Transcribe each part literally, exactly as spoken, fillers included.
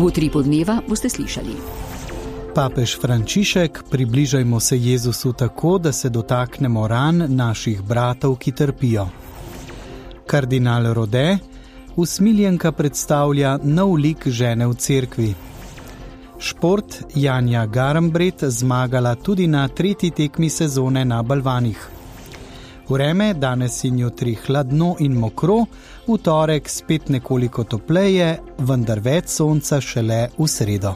V Utripu dneva boste slišali. Papež Frančišek: približajmo se Jezusu tako, da se dotaknemo ran naših bratov, ki trpijo. Kardinal Rode: usmiljenka predstavlja nov lik žene v cerkvi. Šport: Janja Garambret zmagala tudi na tretji tekmi sezone na balvanih. Vreme: danes in jutri hladno in mokro, v torek spet nekoliko topleje, vendar več sonca šele v sredo.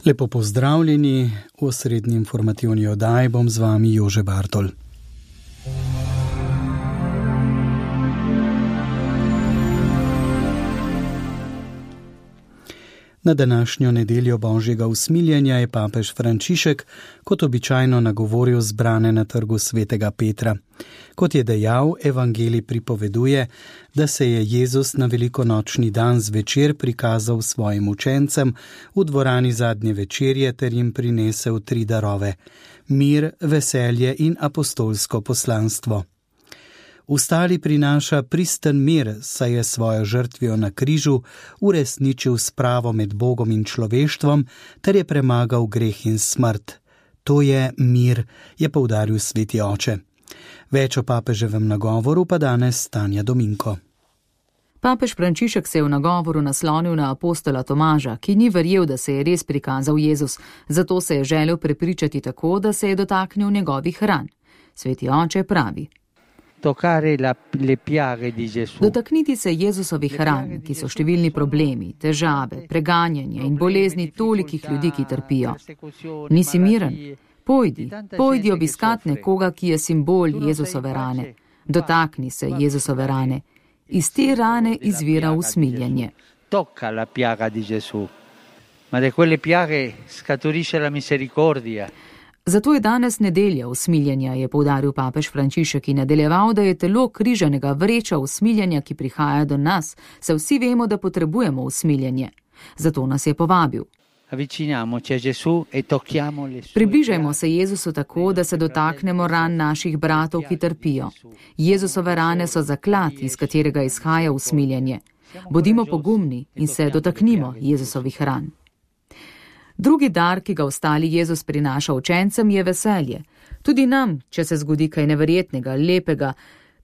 Lepo pozdravljeni, v osrednji informativni oddaji bom z vami Jože Bartol. Na današnjo nedeljo Božjega usmiljenja je papež Frančišek kot običajno nagovoril zbrane na trgu svetega Petra. Kot je dejal, evangelij pripoveduje, da se je Jezus na velikonočni dan zvečer prikazal svojim učencem v dvorani zadnje večerje ter jim prinesel tri darove: mir, veselje in apostolsko poslanstvo. Ustali prinaša pristen mir, saj je svojo žrtvijo na križu uresničil spravo med Bogom in človeštvom ter je premagal greh in smrt. To je mir, je poudaril sveti oče. Več o papeževem nagovoru pa danes Tanja Dominko. Papež Frančišek se je v nagovoru naslonil na apostola Tomaža, ki ni verjel, da se je res prikazal Jezus, zato se je želel prepričati tako, da se je dotaknil njegovih ran. Sveti oče pravi: dotakniti se Jezusovih ran, ki so številni problemi, težave, preganjanje in bolezni tolikih ljudi, ki trpijo. Nisi miren? Pojdi, pojdi obiskat nekoga, ki je simbol Jezusove rane. Dotakni se Jezusove rane. Iz te rane izvira usmiljenje. Tocca la piaga di Gesù. Ma da quelle piaghe scaturisce la misericordia. Zato je danes nedelja usmiljenja, je poudaril papež Frančišek in nadaljeval, da je telo križanega vreča usmiljenja, ki prihaja do nas, saj vsi vemo, da potrebujemo usmiljenje. Zato nas je povabil. Približajmo se Jezusu tako, da se dotaknemo ran naših bratov, ki trpijo. Jezusove rane so zaklad, iz katerega izhaja usmiljenje. Bodimo pogumni in se dotaknimo Jezusovih ran. Drugi dar, ki ga ostali Jezus prinaša učencem, je veselje. Tudi nam, če se zgodi kaj neverjetnega, lepega,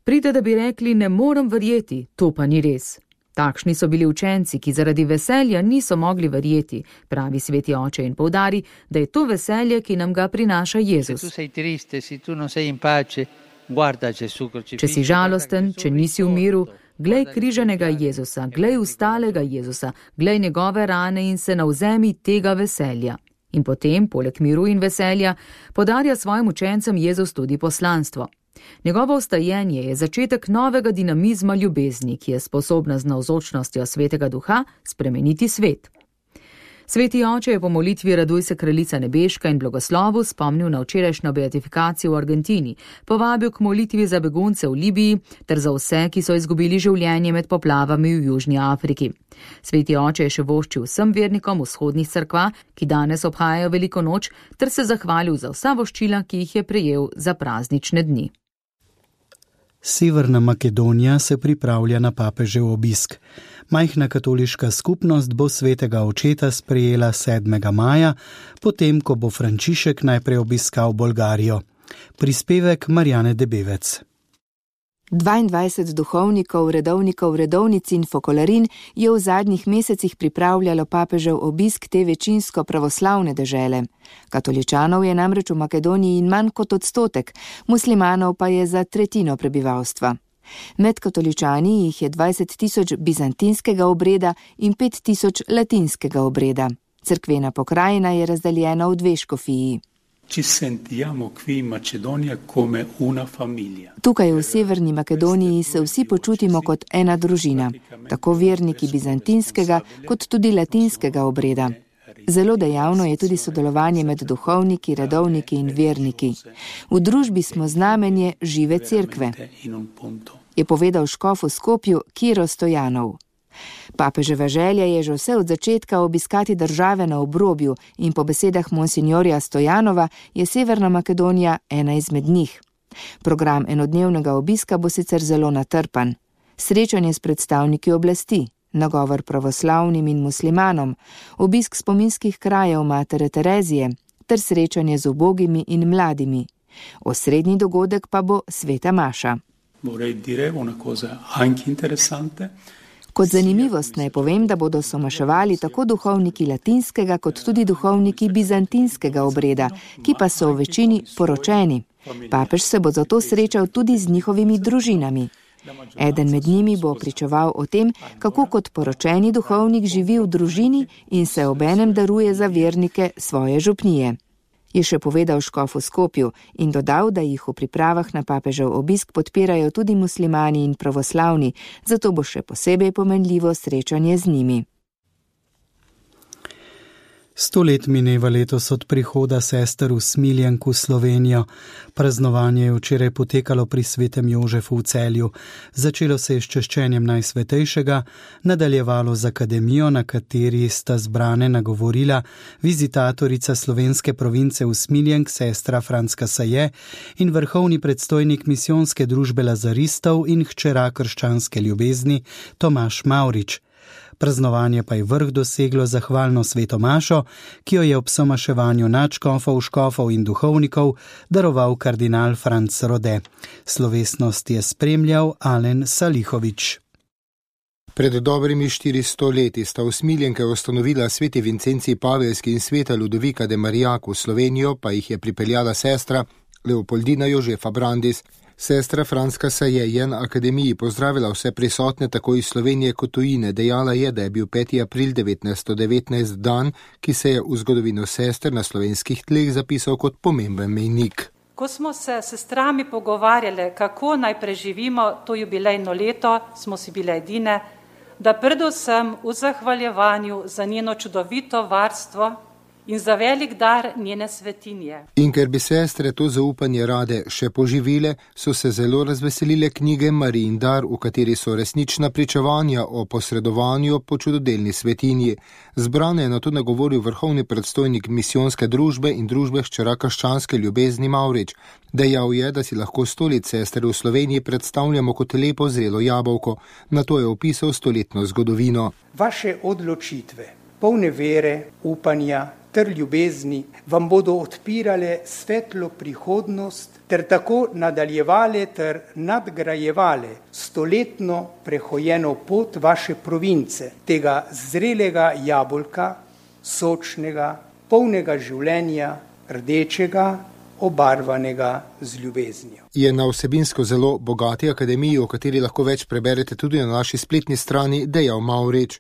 pride, da bi rekli: ne morem verjeti, to pa ni res. Takšni so bili učenci, ki zaradi veselja niso mogli verjeti, pravi sveti oče in poudari, da je to veselje, ki nam ga prinaša Jezus. Če si žalosten, če nisi v miru, glej križanega Jezusa, glej ustalega Jezusa, glej njegove rane in se navzemi tega veselja. In potem, poleg miru in veselja, podarja svojim učencem Jezus tudi poslanstvo. Njegovo vstajenje je začetek novega dinamizma ljubezni, ki je sposobna z navzočnostjo svetega duha spremeniti svet. Sveti oče je po molitvi Raduj se kraljica nebeška in blagoslovu spomnil na včerajšnjo beatifikacijo v Argentini, povabil k molitvi za begunce v Libiji ter za vse, ki so izgubili življenje med poplavami v Južni Afriki. Sveti oče je še voščil vsem vernikom vzhodnih cerkva, ki danes obhajajo veliko noč, ter se zahvalil za vsa voščila, ki jih je prejel za praznične dni. Severna Makedonija se pripravlja na papežev obisk. Majhna katoliška skupnost bo svetega očeta sprejela sedmega maja, potem ko bo Frančišek najprej obiskal Bolgarijo. Prispevek Marjane Debevec. dvaindvajset duhovnikov, redovnikov, redovnic in fokolarin je v zadnjih mesecih pripravljalo papežev obisk te večinsko pravoslavne dežele. Katoličanov je namreč v Makedoniji manj kot odstotek, muslimanov pa je za tretjino prebivalstva. Med katoličani jih je dvajset tisoč bizantinskega obreda in pet tisoč latinskega obreda. Cerkvena pokrajina je razdeljena v dve škofiji. Tukaj v severni Makedoniji se vsi počutimo kot ena družina, tako verniki bizantinskega kot tudi latinskega obreda. Zelo dejavno je tudi sodelovanje med duhovniki, redovniki in verniki. V družbi smo znamenje žive cerkve, je povedal škof v Skopju Kiro Stojanov. Papeževa želja je že vse od začetka obiskati države na obrobju in po besedah monsinjorja Stojanova je Severna Makedonija ena izmed njih. Program enodnevnega obiska bo sicer zelo natrpan. Srečanje s predstavniki oblasti, nagovor pravoslavnim in muslimanom, obisk spominskih krajev matere Terezije ter srečanje z ubogimi in mladimi. Osrednji dogodek pa bo sveta maša. Kot zanimivost naj povem, da bodo somaševali tako duhovniki latinskega kot tudi duhovniki bizantinskega obreda, ki pa so v večini poročeni. Papež se bo zato srečal tudi z njihovimi družinami. Eden med njimi bo pričeval o tem, kako kot poročeni duhovnik živi v družini in se obenem daruje za vernike svoje župnije. Je še povedal škof v Skopju in dodal, da jih v pripravah na papežev obisk podpirajo tudi muslimani in pravoslavni, zato bo še posebej pomenljivo srečanje z njimi. Sto let mineva letos od prihoda sester v Smiljenku v Slovenijo. Praznovanje je včeraj potekalo pri svetem Jožefu v Celju. Začelo se je s češčenjem Najsvetejšega, nadaljevalo z akademijo, na kateri sta zbrane nagovorila vizitatorica slovenske province v Smiljenk, sestra Franska Saje, in vrhovni predstojnik misijonske družbe lazaristov in hčera krščanske ljubezni Tomaž Mavrič. Praznovanje pa je vrh doseglo zahvalno sveto mašo, ki jo je ob somaševanju nadškofov, škofov in duhovnikov daroval kardinal Franc Rode. Slovesnost je spremljal Alen Salihovič. Pred dobrimi štiristo leti sta v Smiljenke ustanovila sveti Vincenci Pavelski in sveta Ludovika de Marijaku, v Slovenijo pa jih je pripeljala sestra Leopoldina Jožefa Brandis. Sestra Franska Saje je na akademiji pozdravila vse prisotne tako iz Slovenije kot tujine. Dejala je, da je bil peti april devetnajststo devetnajst dan, ki se je v zgodovino sester na slovenskih tleh zapisal kot pomemben mejnik. Ko smo se s sestrami pogovarjali, kako naj preživimo to jubilejno leto, smo si bile edine, da predvsem v zahvaljevanju za njeno čudovito varstvo in za velik dar njene svetinje. In ker bi sestre to zaupanje rade še poživile, so se zelo razveselile knjige Marijin dar, v kateri so resnična pričevanja o posredovanju po čudodelni svetinji. Zbrane je na to nagovoril vrhovni predstojnik misijonske družbe in družbe hčera krščanske ljubezni Mavrič. Dejal je, da si lahko sto let sester v Sloveniji predstavljamo kot lepo zrelo jabolko. Na to je opisal stoletno zgodovino. Vaše odločitve, polne vere, upanja ter ljubezni vam bodo odpirale svetlo prihodnost ter tako nadaljevale ter nadgrajevale stoletno prehojeno pot vaše province, tega zrelega jabolka, sočnega, polnega življenja, rdečega, obarvanega z ljubeznijo. Je na vsebinsko zelo bogati akademiji, o kateri lahko več preberete tudi na naši spletni strani, dejal Mavrič.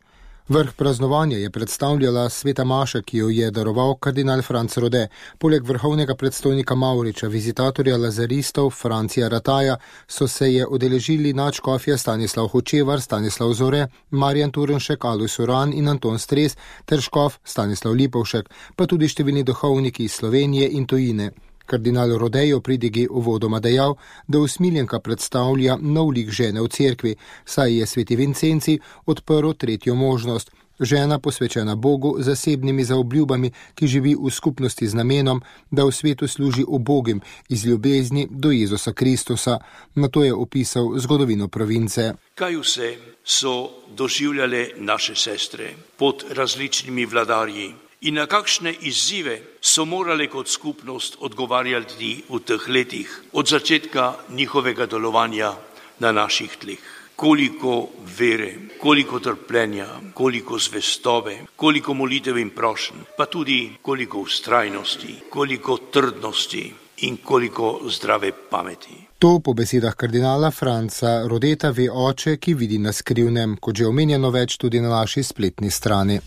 Vrh praznovanja je predstavljala sveta maša, ki jo je daroval kardinal Franc Rode. Poleg vrhovnega predstojnika Mavriča, vizitatorja lazaristov Francija Rataja, so se je udeležili nadškofja Stanislav Hočevar, Stanislav Zore, Marjan Turnšek, Alojz Uran in Anton Stres ter škof Stanislav Lipovšek, pa tudi številni duhovniki iz Slovenije in tujine. Kardinal Rode je v pridigi uvodoma dejal, da v Smiljenka predstavlja nov lik žene v cerkvi, saj je sveti Vincenci odprl tretjo možnost. Žena posvečena Bogu z zasebnimi zaobljubami, ki živi v skupnosti z namenom, da v svetu služi ubogim iz ljubezni do Jezusa Kristusa. Na to je opisal zgodovino province. Kaj vse so doživljale naše sestre pod različnimi vladarji? In na kakšne izzive so morale kot skupnost odgovarjati v teh letih od začetka njihovega delovanja na naših tleh. Koliko vere, koliko trpljenja, koliko zvestobe, koliko molitev in prošenj, pa tudi koliko vztrajnosti, koliko trdnosti in koliko zdrave pameti. To po besedah kardinala Franca Rodeta ve oče, ki vidi na skrivnem, kot že omenjeno več tudi na naši spletni strani.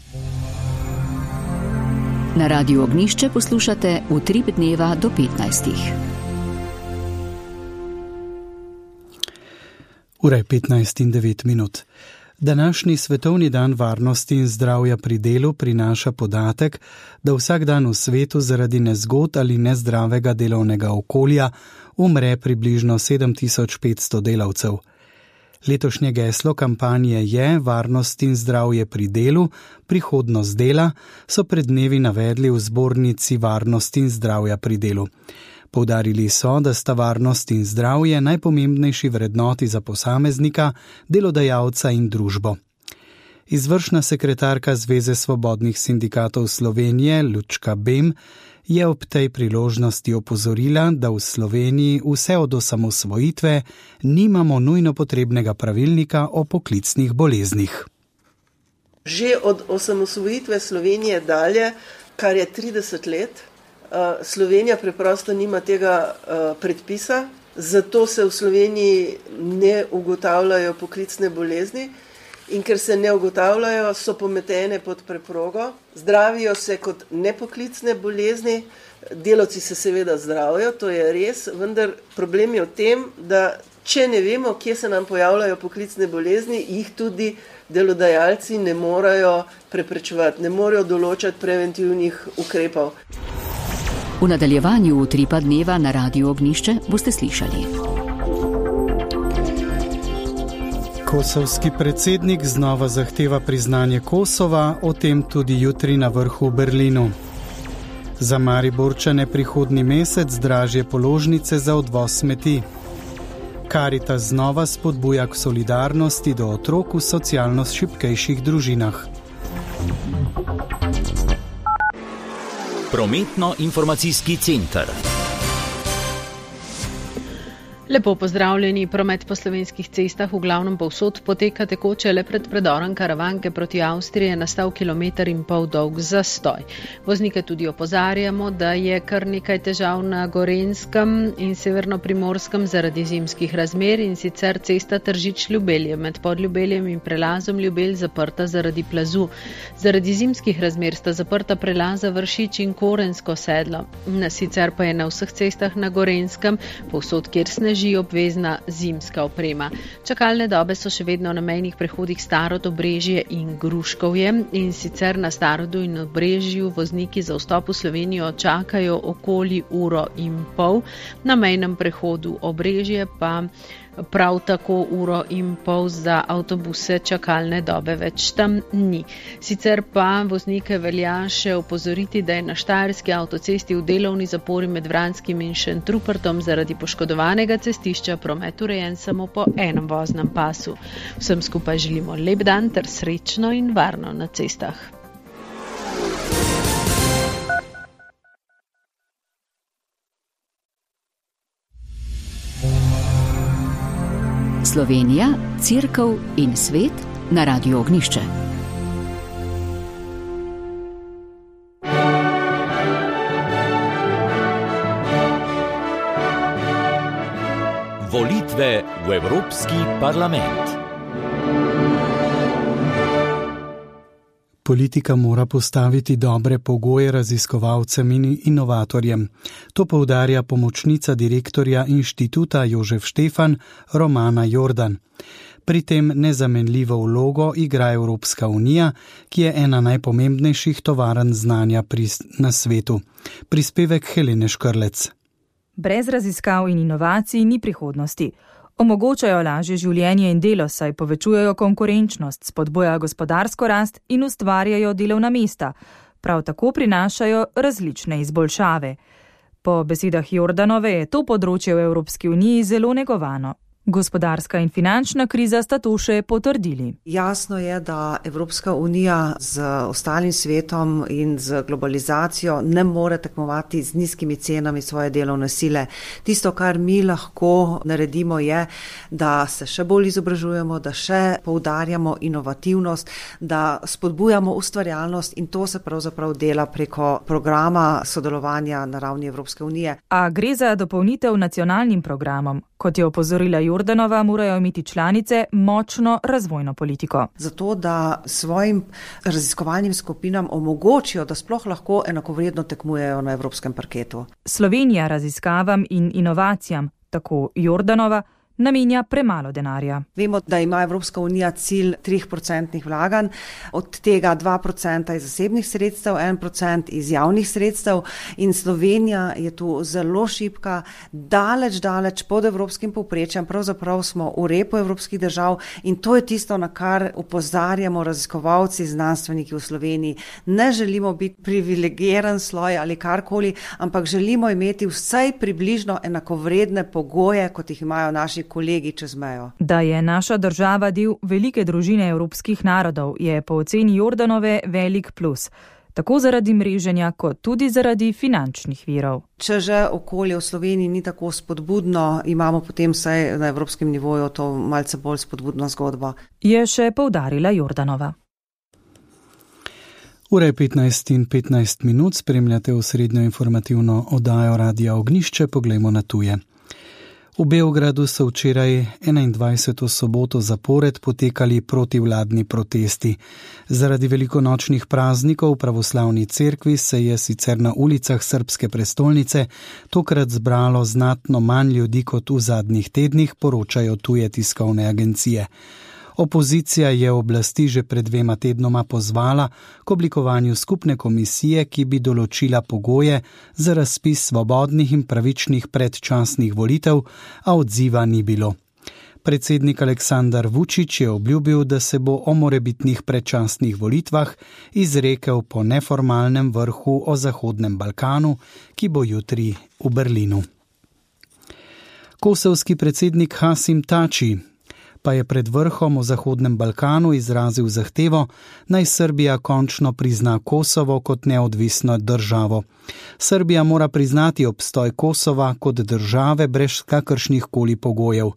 Na Radiu Ognjišče poslušate Utrip dneva do petnajstih. Ura je petnajst in devet minut. Današnji svetovni dan varnosti in zdravja pri delu prinaša podatek, da vsak dan v svetu zaradi nezgod ali nezdravega delovnega okolja umre približno sedem tisoč petsto delavcev. Letošnje geslo kampanje je Varnost in zdravje pri delu, prihodnost dela, so pred dnevi navedli v zbornici Varnost in zdravja pri delu. Poudarili so, da sta varnost in zdravje najpomembnejši vrednoti za posameznika, delodajalca in družbo. Izvršna sekretarka Zveze svobodnih sindikatov Slovenije Lučka Bem je ob tej priložnosti opozorila, da v Sloveniji vse od osamosvojitve nimamo nujno potrebnega pravilnika o poklicnih boleznih. Že od osamosvojitve Slovenije dalje, kar je trideset let, Slovenija preprosto nima tega predpisa, zato se v Sloveniji ne ugotavljajo poklicne bolezni in ker se ne ugotavljajo, so pometene pod preprogo, zdravijo se kot nepoklicne bolezni, delavci se seveda zdravijo, to je res, vendar problem je v tem, da če ne vemo, kje se nam pojavljajo poklicne bolezni, jih tudi delodajalci ne morejo preprečevati, ne morejo določati preventivnih ukrepov. V nadaljevanju Utripa dneva na Radiu Ognjišče boste slišali. Kosovski predsednik znova zahteva priznanje Kosova, o tem tudi jutri na vrhu v Berlinu. Za Mariborčane prihodnji mesec dražje položnice za odvoz smeti. Karitas znova spodbuja k solidarnosti do otrok v socialno šibkejših družinah. Prometno-informacijski center. Lepo pozdravljeni, promet po slovenskih cestah v glavnem povsod poteka tekoče le pred predorom Karavanke proti Avstriji je nastal kilometer in pol dolg zastoj. Voznike tudi opozarjamo, da je kar nekaj težav na Gorenjskem in severno-primorskem zaradi zimskih razmer in sicer cesta Tržič-Ljubelje med Podljubeljem in prelazom Ljubelj zaprta zaradi plazu. Zaradi zimskih razmer sta zaprta prelaza Vršič in Korensko sedlo. Sicer pa je na vseh cestah na Gorenjskem, povsod kjer sneži, obvezna zimska oprema. Čakalne dobe so še vedno na mejnih prehodih Starod, Obrežje in Gruškovje in sicer na Starodu in Obrežju vozniki za vstop v Slovenijo čakajo okoli uro in pol, na mejnem prehodu Obrežje pa prav tako uro in pol za avtobuse čakalne dobe več tam ni. Sicer pa voznike velja še opozoriti, da je na Štajerski avtocesti v delovni zapori med Vranskim in Šentrupertom zaradi poškodovanega cestišča promet urejen samo po enem voznem pasu. Vsem skupaj želimo lep dan ter srečno in varno na cestah. Slovenija, Cerkev in svet na Radiu Ognjišče. Volitve v Evropski parlament. Politika mora postaviti dobre pogoje raziskovalcem in inovatorjem. To poudarja pomočnica direktorja inštituta Jožef Štefan Romana Jordan. Pri tem nezamenljivo vlogo igra Evropska unija, ki je ena najpomembnejših tovarn znanja na svetu. Prispevek Helene Škrlec. Brez raziskav in inovacij ni prihodnosti. Omogočajo lažje življenje in delo, saj povečujejo konkurenčnost, spodbujajo gospodarsko rast in ustvarjajo delovna mesta. Prav tako prinašajo različne izboljšave. Po besedah Jordanove je to področje v Evropski uniji zelo negovano. Gospodarska in finančna kriza sta to še potrdili. Jasno je, da Evropska unija z ostalim svetom in z globalizacijo ne more tekmovati z nizkimi cenami svoje delovne sile. Tisto, kar mi lahko naredimo, je, da se še bolj izobražujemo, da še poudarjamo inovativnost, da spodbujamo ustvarjalnost in to se pravzaprav dela preko programa sodelovanja na ravni Evropske unije. A gre za dopolnitev nacionalnim programom. Kot je opozorila Jordanova, morajo imeti članice močno razvojno politiko. Zato, da svojim raziskovalnim skupinam omogočijo, da sploh lahko enakovredno tekmujejo na evropskem parketu. Slovenija raziskavam in inovacijam, tako Jordanova, namenja premalo denarja. Vemo, da ima Evropska unija cilj tri procente vlaganj, od tega dva procenta iz zasebnih sredstev, en procent iz javnih sredstev in Slovenija je tu zelo šibka, daleč, daleč pod evropskim povprečjem, pravzaprav smo v repu evropskih držav in to je tisto, na kar opozarjamo raziskovalci, znanstveniki v Sloveniji. Ne želimo biti privilegiran sloj ali karkoli, ampak želimo imeti vsaj približno enakovredne pogoje, kot jih imajo naši kolegi čez mejo. Da je naša država del velike družine evropskih narodov, je po oceni Jordanove velik plus. Tako zaradi mreženja, kot tudi zaradi finančnih virov. Če že okolje v Sloveniji ni tako spodbudno, imamo potem vsaj na evropskem nivoju to malce bolj spodbudno zgodbo. Je še poudarila Jordanova. Ura je petnajst in petnajst minut, spremljate osrednjo informativno oddajo Radia Ognišče, poglejmo na tuje. V Beogradu so včeraj enaindvajseto soboto zapored potekali protivladni protesti. Zaradi velikonočnih praznikov v pravoslavni cerkvi se je sicer na ulicah srbske prestolnice tokrat zbralo znatno manj ljudi kot v zadnjih tednih, poročajo tuje tiskovne agencije. Opozicija je oblasti že pred dvema tednoma pozvala k oblikovanju skupne komisije, ki bi določila pogoje za razpis svobodnih in pravičnih predčasnih volitev, a odziva ni bilo. Predsednik Aleksandar Vučić je obljubil, da se bo o morebitnih predčasnih volitvah izrekel po neformalnem vrhu o Zahodnem Balkanu, ki bo jutri v Berlinu. Kosovski predsednik Hasim Tači pa je pred vrhom o Zahodnem Balkanu izrazil zahtevo, naj Srbija končno prizna Kosovo kot neodvisno državo. Srbija mora priznati obstoj Kosova kot države brez kakršnih koli pogojev.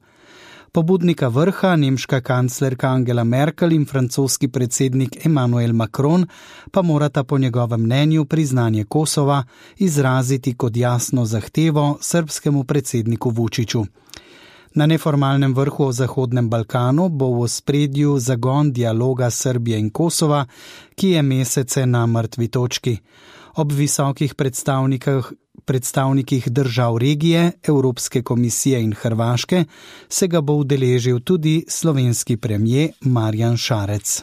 Pobudnika vrha, nemška kanclerka Angela Merkel in francoski predsednik Emmanuel Macron, pa morata po njegovem mnenju priznanje Kosova izraziti kot jasno zahtevo srbskemu predsedniku Vučiću. Na neformalnem vrhu o Zahodnem Balkanu bo v ospredju zagon dialoga Srbije in Kosova, ki je mesece na mrtvi točki. Ob visokih predstavnikih, predstavnikih držav regije, Evropske komisije in Hrvaške se ga bo udeležil tudi slovenski premier Marjan Šarec.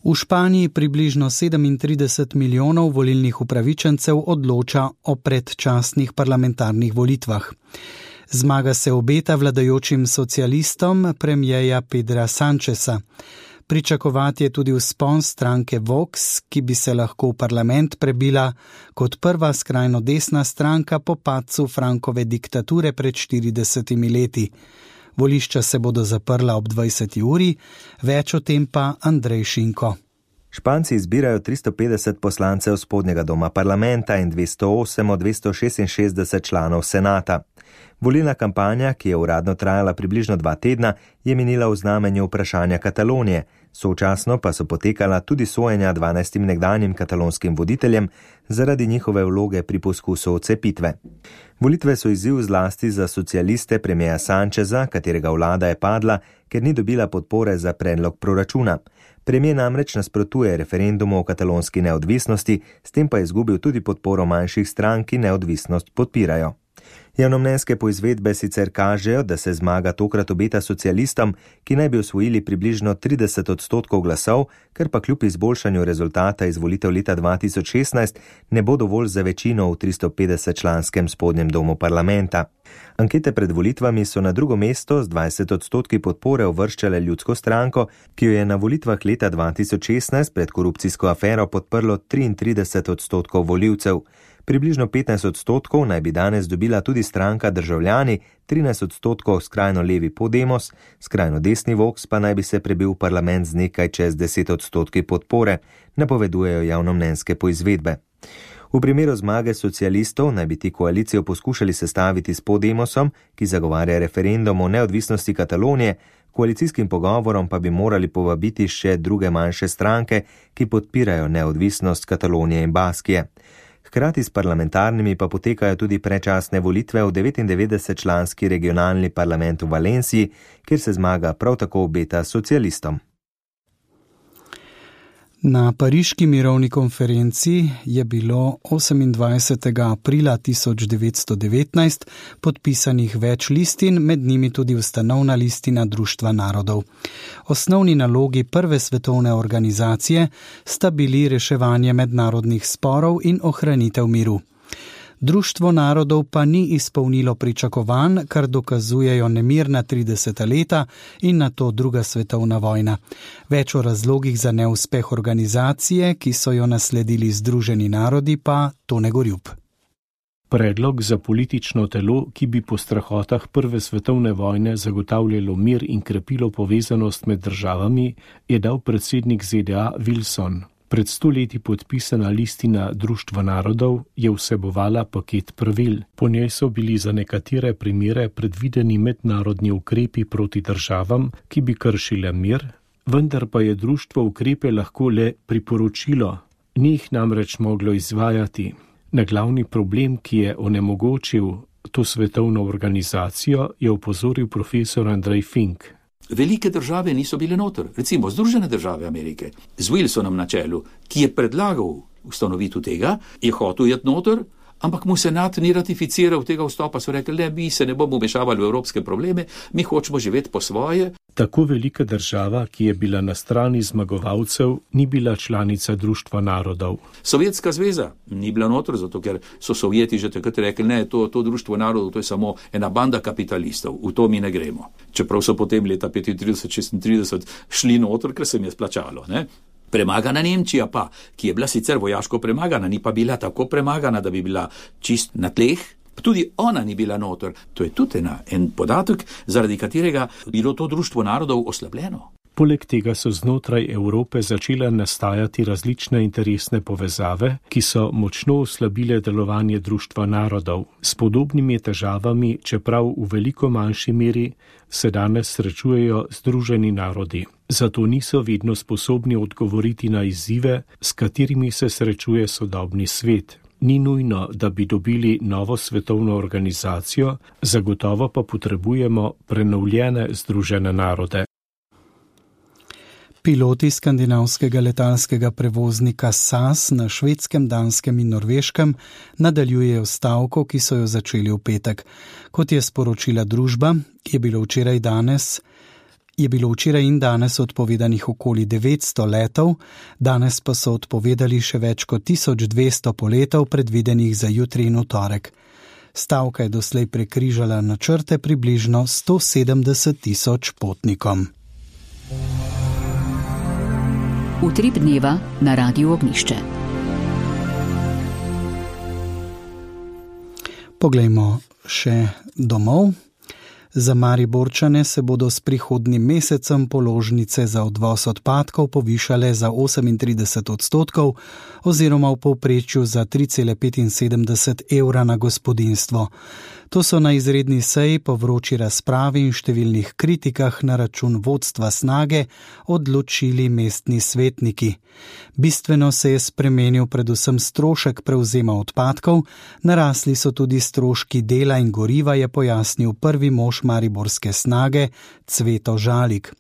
V Španiji približno sedemintrideset milijonov volilnih upravičencev odloča o predčasnih parlamentarnih volitvah. Zmaga se obeta vladajočim socialistom premierja Pedra Sancheza. Pričakovati je tudi vzpon stranke Vox, ki bi se lahko v parlament prebila kot prva skrajno desna stranka po padcu Frankove diktature pred štiridesetimi leti. Volišča se bodo zaprla ob dvajseti uri, več o tem pa Andrej Šinko. Španci izbirajo tristo petdeset poslancev spodnjega doma parlamenta in dvesto osem od dvesto šestinšestdeset članov senata. Volilna kampanja, ki je uradno trajala približno dva tedna, je minila v znamenju vprašanja Katalonije, sočasno pa so potekala tudi sojenja dvanajstim nekdanjim katalonskim voditeljem zaradi njihove vloge pri poskusu odcepitve. Volitve so izziv zlasti za socialiste premierja Sancheza, katerega vlada je padla, ker ni dobila podpore za predlog proračuna. Premijer namreč nasprotuje referendumu o katalonski neodvisnosti, s tem pa je izgubil tudi podporo manjših strank, ki neodvisnost podpirajo. Javnomnenjske poizvedbe sicer kažejo, da se zmaga tokrat obeta socialistom, ki naj bi osvojili približno trideset odstotkov glasov, ker pa kljub izboljšanju rezultata iz volitev leta dva tisoč šestnajst ne bo dovolj za večino v tristo petdeset članskem spodnjem domu parlamenta. Ankete pred volitvami so na drugo mesto z dvajset odstotki podpore uvrščale Ljudsko stranko, ki jo je na volitvah leta dva tisoč šestnajst pred korupcijsko afero podprlo triintrideset odstotkov volivcev. Približno petnajst odstotkov naj bi danes dobila tudi stranka Državljani, trinajst odstotkov skrajno levi Podemos, skrajno desni Vox pa naj bi se prebil v parlament z nekaj čez deset odstotki podpore, napovedujejo javnomnenjske poizvedbe. V primeru zmage socialistov naj bi ti koalicijo poskušali sestaviti s Podemosom, ki zagovarja referendum o neodvisnosti Katalonije, koalicijskim pogovorom pa bi morali povabiti še druge manjše stranke, ki podpirajo neodvisnost Katalonije in Baskije. Hkrati s parlamentarnimi pa potekajo tudi predčasne volitve v devetindevetdeset članski regionalni parlament v Valenciji, kjer se zmaga prav tako obeta socialistom. Na pariški mirovni konferenci je bilo osemindvajsetega aprila tisoč devetsto devetnajst podpisanih več listin, med njimi tudi ustanovna listina Društva narodov. Osnovni nalogi prve svetovne organizacije sta bili reševanje mednarodnih sporov in ohranitev miru. Društvo narodov pa ni izpolnilo pričakovanj, kar dokazujejo nemirna trideseta leta in nato druga svetovna vojna. Več o razlogih za neuspeh organizacije, ki so jo nasledili Združeni narodi, pa Tone Gorjup. Predlog za politično telo, ki bi po strahotah prve svetovne vojne zagotavljalo mir in krepilo povezanost med državami, je dal predsednik Z D A Wilson. Pred sto leti podpisana listina Društva narodov je vsebovala paket pravil. Po njej so bili za nekatere primere predvideni mednarodni ukrepi proti državam, ki bi kršile mir, vendar pa je društvo ukrepe lahko le priporočilo, ni jih namreč moglo izvajati. Na glavni problem, ki je onemogočil to svetovno organizacijo, je opozoril profesor Andrej Fink. Velike države niso bile noter, recimo Združene države Amerike, z Wilsonom na čelu, ki je predlagal ustanovitev tega, je hotel jet noter, ampak mu senat ni ratificiral tega vstopa, so rekli, ne, mi se ne bomo vmešavali v evropske probleme, mi hočemo živeti po svoje. Tako velika država, ki je bila na strani zmagovalcev, ni bila članica Društva narodov. Sovjetska zveza ni bila noter, zato ker so Sovjeti že takrat rekli, ne, to, to Društvo narodov, to je samo ena banda kapitalistov, v to mi ne gremo. Čeprav so potem leta petintrideset šestintrideset šli noter, ker se jim je splačalo, ne. Premagana Nemčija pa, ki je bila sicer vojaško premagana, ni pa bila tako premagana, da bi bila čist na tleh, tudi ona ni bila noter. To je tudi ena, en podatek, zaradi katerega bilo to Društvo narodov oslabljeno. Poleg tega so znotraj Evrope začele nastajati različne interesne povezave, ki so močno oslabile delovanje Društva narodov. S podobnimi težavami, čeprav v veliko manjši meri, se danes srečujejo Združeni narodi. Zato niso vedno sposobni odgovoriti na izzive, s katerimi se srečuje sodobni svet. Ni nujno, da bi dobili novo svetovno organizacijo, zagotovo pa potrebujemo prenovljene Združene narode. Piloti skandinavskega letalskega prevoznika S A S na Švedskem, Danskem in Norveškem nadaljujejo stavko, ki so jo začeli v petek. Kot je sporočila družba, je bilo včeraj danes je bilo včeraj in danes odpovedanih okoli devetsto letov, danes pa so odpovedali še več kot tisoč dvesto poletov predvidenih za jutri in v torek. Stavka je doslej prekrižala načrte približno sto sedemdeset tisoč potnikom. Utrip dneva na Radiu Ognjišče. Poglejmo še domov. Za Mariborčane se bodo s prihodnjim mesecem položnice za odvoz odpadkov povišale za osemintrideset odstotkov oziroma v povprečju za tri cele petinsedemdeset evra na gospodinjstvo. To so na izredni seji po vroči razpravi in številnih kritikah na račun vodstva Snage odločili mestni svetniki. Bistveno se je spremenil predvsem strošek prevzema odpadkov, narasli so tudi stroški dela in goriva, je pojasnil prvi mož mariborske Snage Cveto Žalik.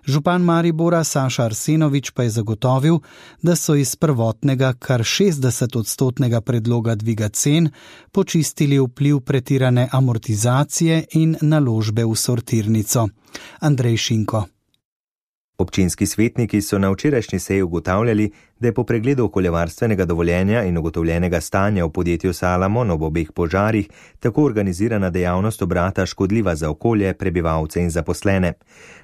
Župan Maribora Saša Arsenovič pa je zagotovil, da so iz prvotnega kar šestdeset odstotnega predloga dviga cen počistili vpliv pretirane amortizacije in naložbe v sortirnico. Andrej Šinko. Občinski svetniki so na včerajšnji seji ugotavljali, da je po pregledu okoljevarstvenega dovoljenja in ugotovljenega stanja v podjetju Salamon ob obeh požarih tako organizirana dejavnost obrata škodljiva za okolje, prebivalce in zaposlene.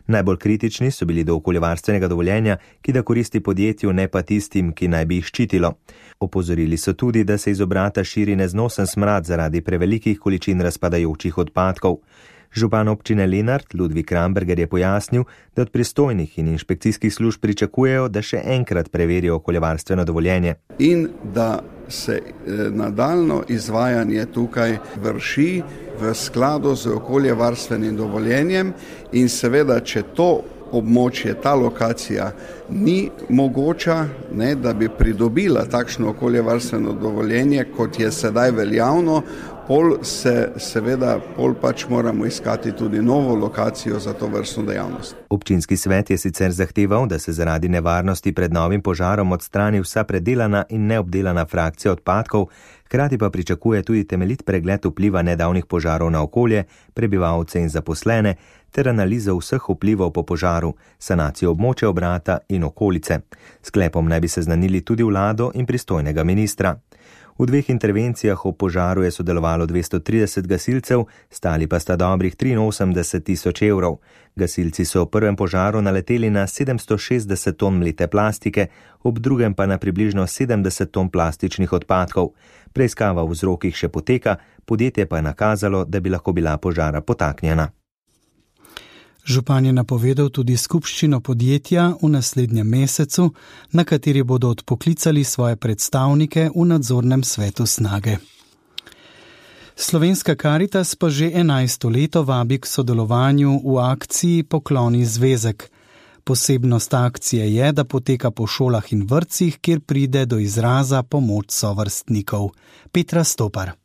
Najbolj kritični so bili do okoljevarstvenega dovoljenja, ki da koristi podjetju, ne pa tistim, ki naj bi jih ščitilo. Opozorili so tudi, da se iz obrata širi neznosen smrad zaradi prevelikih količin razpadajočih odpadkov. Župan občine Lenart Ludvik Kramberger je pojasnil, da od pristojnih in inšpekcijskih služb pričakujejo, da še enkrat preverijo okoljevarstveno dovoljenje. In da se nadaljno izvajanje tukaj vrši v skladu z okoljevarstvenim dovoljenjem in seveda, če to območje, ta lokacija ni mogoča, ne, da bi pridobila takšno okoljevarstveno dovoljenje, kot je sedaj veljavno, pol se seveda, pol pač moramo iskati tudi novo lokacijo za to vrstno dejavnost. Občinski svet je sicer zahteval, da se zaradi nevarnosti pred novim požarom odstrani vsa predelana in neobdelana frakcija odpadkov, hkrati pa pričakuje tudi temeljit pregled vpliva nedavnih požarov na okolje, prebivalce in zaposlene, ter analizo vseh vplivov po požaru, sanacijo območja obrata in okolice. Sklepom naj bi seznanili tudi vlado in pristojnega ministra. V dveh intervencijah ob požaru je sodelovalo dvesto trideset gasilcev, stali pa sta dobrih triinosemdeset tisoč evrov. Gasilci so v prvem požaru naleteli na sedemsto šestdeset ton mlete plastike, ob drugem pa na približno sedemdeset ton plastičnih odpadkov. Preiskava v vzrokih še poteka, podjetje pa je nakazalo, da bi lahko bila požara potaknjena. Župan je napovedal tudi skupščino podjetja v naslednjem mesecu, na kateri bodo odpoklicali svoje predstavnike v nadzornem svetu Snage. Slovenska Karitas pa že enajsto leto vabi k sodelovanju v akciji Pokloni zvezek. Posebnost akcije je, da poteka po šolah in vrtcih, kjer pride do izraza pomoč sovrstnikov. Petra Stopar.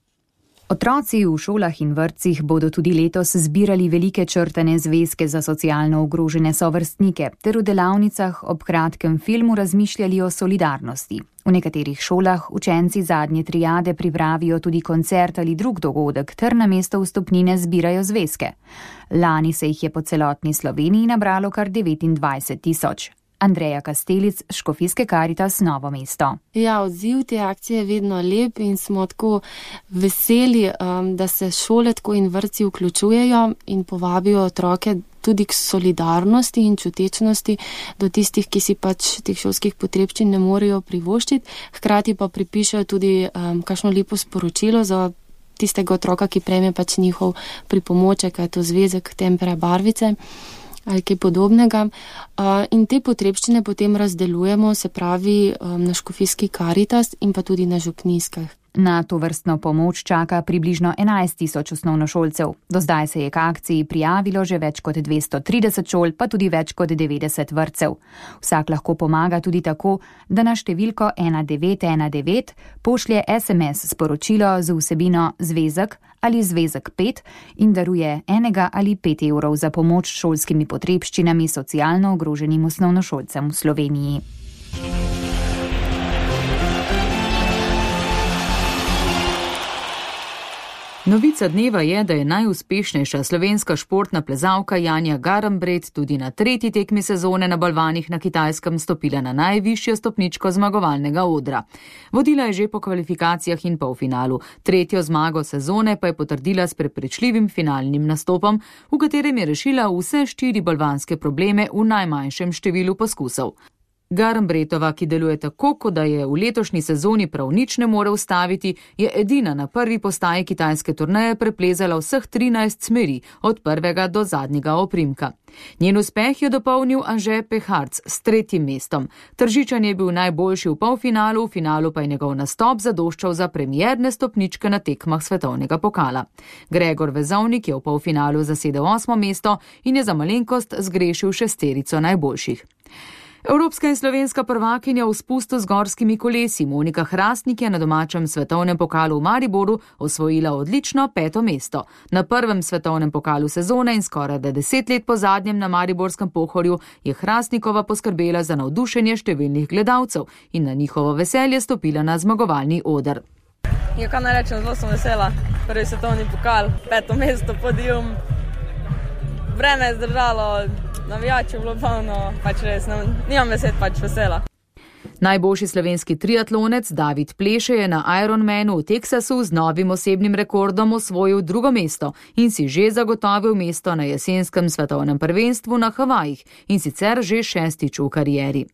Otroci v šolah in vrtcih bodo tudi letos zbirali velike črtane zvezke za socialno ogrožene sovrstnike ter v delavnicah ob kratkem filmu razmišljali o solidarnosti. V nekaterih šolah učenci zadnje triade pripravijo tudi koncert ali drug dogodek ter namesto vstopnine zbirajo zvezke. Lani se jih je po celotni Sloveniji nabralo kar devetindvajset tisoč. Andreja Kastelic, Škofijske Karitas Novo mesto. Ja, odziv te akcije je vedno lep in smo tako veseli, da se šole tako in vrtci vključujejo in povabijo otroke tudi k solidarnosti in čutečnosti do tistih, ki si pač teh šolskih potrebščin ne morejo privoščiti. Hkrati pa pripišejo tudi um, kakšno lepo sporočilo za tistega otroka, ki prejme pač njihov pripomoček, je to zvezek, tempera, barvice ali kaj podobnega. In te potrebščine potem razdelujemo, se pravi na Škofijski Karitas in pa tudi na župnijskih. Na to vrstno pomoč čaka približno enajst tisoč osnovnošolcev. Do zdaj se je k akciji prijavilo že več kot dvesto trideset šol, pa tudi več kot devetdeset vrtcev. Vsak lahko pomaga tudi tako, da na številko ena devet ena devet pošlje es em es sporočilo z vsebino zvezek ali zvezek pet in daruje enega ali pet evrov za pomoč šolskimi potrebščinami socialno ogroženim osnovnošolcem v Sloveniji. Novica dneva je, da je najuspešnejša slovenska športna plezalka Janja Garnbret tudi na tretji tekmi sezone na balvanih na Kitajskem stopila na najvišjo stopničko zmagovalnega odra. Vodila je že po kvalifikacijah in polfinalu. Tretjo zmago sezone pa je potrdila s prepričljivim finalnim nastopom, v katerem je rešila vse štiri balvanske probleme v najmanjšem številu poskusov. Garnbretova, ki deluje tako, kot da je v letošnji sezoni prav nič ne more ustaviti, je edina na prvi postaji kitajske turneje preplezala vseh trinajst smeri, od prvega do zadnjega oprimka. Njen uspeh je dopolnil Anže Peharc s tretjim mestom. Tržičan je bil najboljši v polfinalu, v finalu pa je njegov nastop zadoščal za premierne stopničke na tekmah svetovnega pokala. Gregor Vezovnik je v polfinalu zasedel osmo mesto in je za malenkost zgrešil šesterico najboljših. Evropska in slovenska prvakinja v spustu z gorskimi kolesi Monika Hrastnik je na domačem svetovnem pokalu v Mariboru osvojila odlično peto mesto. Na prvem svetovnem pokalu sezone in skoraj deset let po zadnjem na mariborskem Pohorju je Hrastnikova poskrbela za navdušenje številnih gledalcev in na njihovo veselje stopila na zmagovalni oder. Ja, kaj naj rečem, zelo sem vesela. Prvi svetovni pokal, peto mesto, podium. Vreme je zdržalo, navijači bilo polno, pač res, nimam besed, pač vesela. Najboljši slovenski triatlonec David Pleše je na Ironmanu v Teksasu z novim osebnim rekordom osvojil drugo mesto in si že zagotovil mesto na jesenskem svetovnem prvenstvu na Havajih in sicer že šestič v karieri.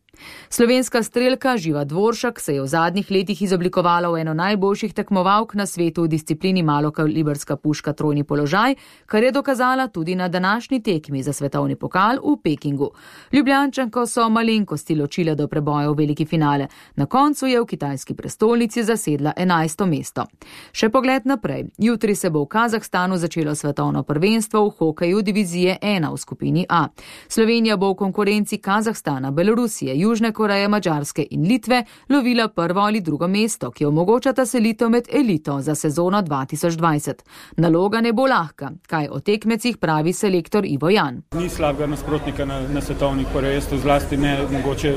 Slovenska strelka Živa Dvoršak se je v zadnjih letih izoblikovala v eno najboljših tekmovalk na svetu v disciplini malokalibrska puška trojni položaj, kar je dokazala tudi na današnji tekmi za svetovni pokal v Pekingu. Ljubljančanko so malenkosti ločile do preboja v veliki finale. Na koncu je v kitajski prestolnici zasedla enajsto mesto. Še pogled naprej. Jutri se bo v Kazahstanu začelo svetovno prvenstvo v hokeju divizije ena v skupini A. Slovenija bo v konkurenci Kazahstana, Belorusije, Južne Koreje, Madžarske in Litve lovila prvo ali drugo mesto, ki omogočata selitev med elito za sezono dva tisoč dvajset. Naloga ne bo lahka, kaj o tekmecih pravi selektor Ivo Jan. Ni slabega nasprotnika na, na svetovnih prvenstvu, zlasti ne mogoče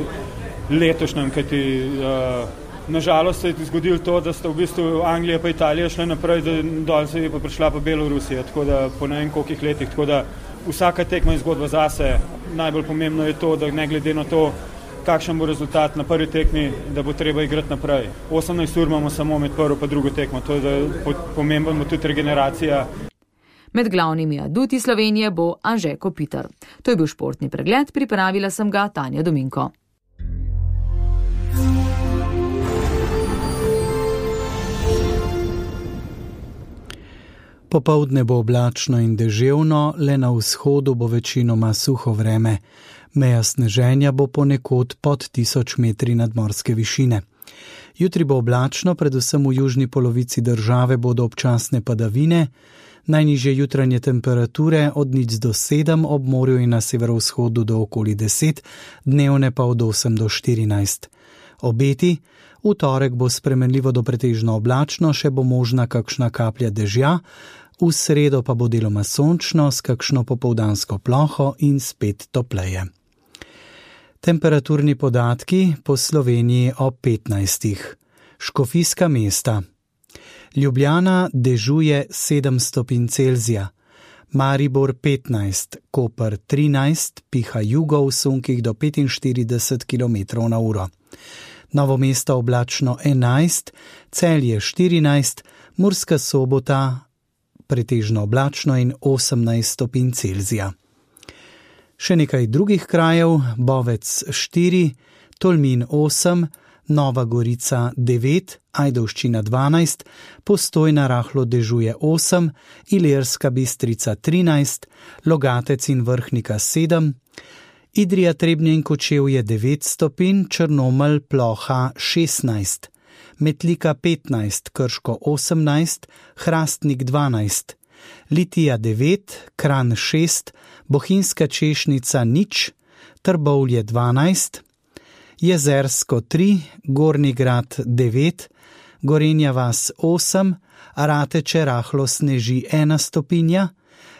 letošnjem, kajti uh, nažalost se je zgodilo to, da sta v bistvu Anglija pa Italija šle naprej, da dol se je pa prišla pa Belorusija, tako da po ne vem kolikih letih, tako da vsaka tekma je zgodba zase. Najbolj pomembno je to, da ne glede na to, kakšen bo rezultat na prvi tekmi, da bo treba igrati naprej. osemnajst ur imamo samo med prvo pa drugo tekmo, to je, da pomembno bo tudi regeneracija. Med glavnimi aduti Slovenije bo Anže Kopitar. To je bil športni pregled, pripravila sem ga Tanja Dominko. Popoldne bo oblačno in deževno, le na vzhodu bo večinoma suho vreme. Meja sneženja bo ponekod pod tisoč metri nadmorske višine. Jutri bo oblačno, predvsem v južni polovici države bodo občasne padavine, najnižje jutranje temperature od nič do sedem, ob morju in na severovzhodu do okoli deset, dnevne pa od osem do štirinajst. Obeti: v torek bo spremenljivo do pretežno oblačno, še bo možna kakšna kaplja dežja, v sredo pa bo deloma sončno s kakšno popoldansko ploho in spet topleje. Temperaturni podatki po Sloveniji ob petnajstih. Škofijska mesta. Ljubljana dežuje sedem stopinj Celzija, Maribor petnajst, Koper trinajst, piha jugo v sunkih do petinštirideset kilometrov na uro. Novo mesto oblačno enajst, Celje štirinajst, Murska Sobota pretežno oblačno in osemnajst stopinj Celzija. Še nekaj drugih krajev: Bovec štiri, Tolmin osem, Nova Gorica devet, Ajdovščina dvanajst, Postojna rahlo dežuje osem, Ilirska Bistrica trinajst, Logatec in Vrhnika sedem, Idrija, Trebnje in Kočevje devet stopinj, Črnomelj ploha šestnajst, Metlika petnajst, Krško osemnajst, Hrastnik dvanajst, Litija devet, Kranj šest, Bohinjska Češnica nič, Trbovlje dvanajst, Jezersko tri, Gornji Grad devet, Gorenja vas osem, Rateče rahlo sneži ena stopinja,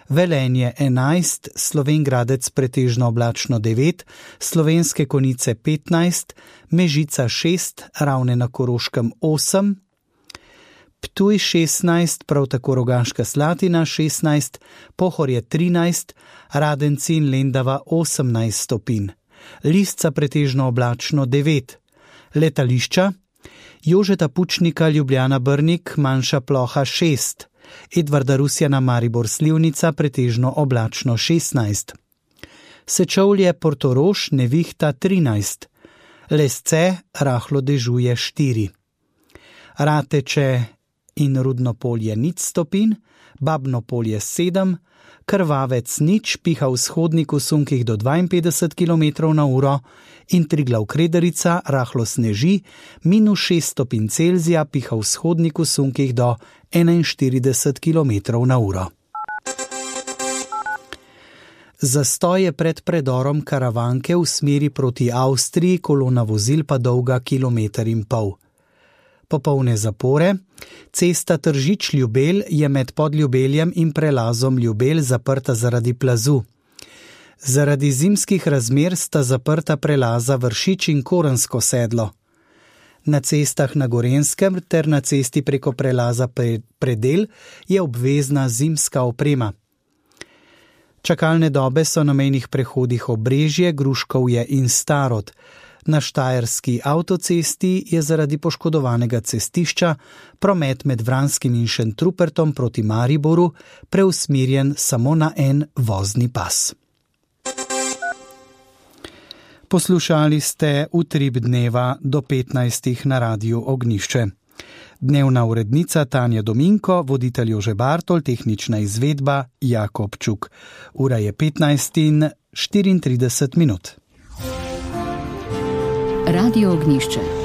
Velenje enajst, Slovenj Gradec pretežno oblačno devet, Slovenske Konjice petnajst, Mežica šest, Ravne na Koroškem osem, Ptuj šestnajst, prav tako Rogaška Slatina šestnajst, Pohorje trinajst, Radenci in Lendava osemnajst stopinj, Lisca pretežno oblačno devet. Letališča: Jožeta Pučnika Ljubljana Brnik manjša ploha šest, Edvarda Rusjana Maribor Slivnica pretežno oblačno šestnajst, Sečovlje Portorož nevihta trinajst, Lesce rahlo dežuje štiri, Rateče in Rudno Polje nič stopinj, Babno Polje sedem, Krvavec nič, piha vzhodnik v sunkih do dvainpetdeset kilometrov na uro in Triglav Kredarica rahlo sneži, minus šest stopinj Celzija, piha vzhodnik v sunkih do enainštirideset kilometrov na uro. Zastoj je pred predorom Karavanke v smeri proti Avstriji, kolona vozil pa dolga kilometer in pol. Popolne zapore. Cesta Tržič-Ljubelj je med Podljubeljem in prelazom Ljubelj zaprta zaradi plazu. Zaradi zimskih razmer sta zaprta prelaza Vršič in Korensko sedlo. Na cestah na Gorenjskem ter na cesti preko prelaza Predel je obvezna zimska oprema. Čakalne dobe so na mejnih prehodih Obrežje, Gruškovje in Starod. Na Štajerski avtocesti je zaradi poškodovanega cestišča promet med Vranskim in Šentrupertom proti Mariboru preusmerjen samo na en vozni pas. Poslušali ste Utrip dneva do petnajstih na Radiu Ognišče. Dnevna urednica Tanja Dominko, voditelj Jože Bartol, tehnična izvedba Jakob Čuk. Ura je petnajst in štiriintrideset minut. Radio Ognišče.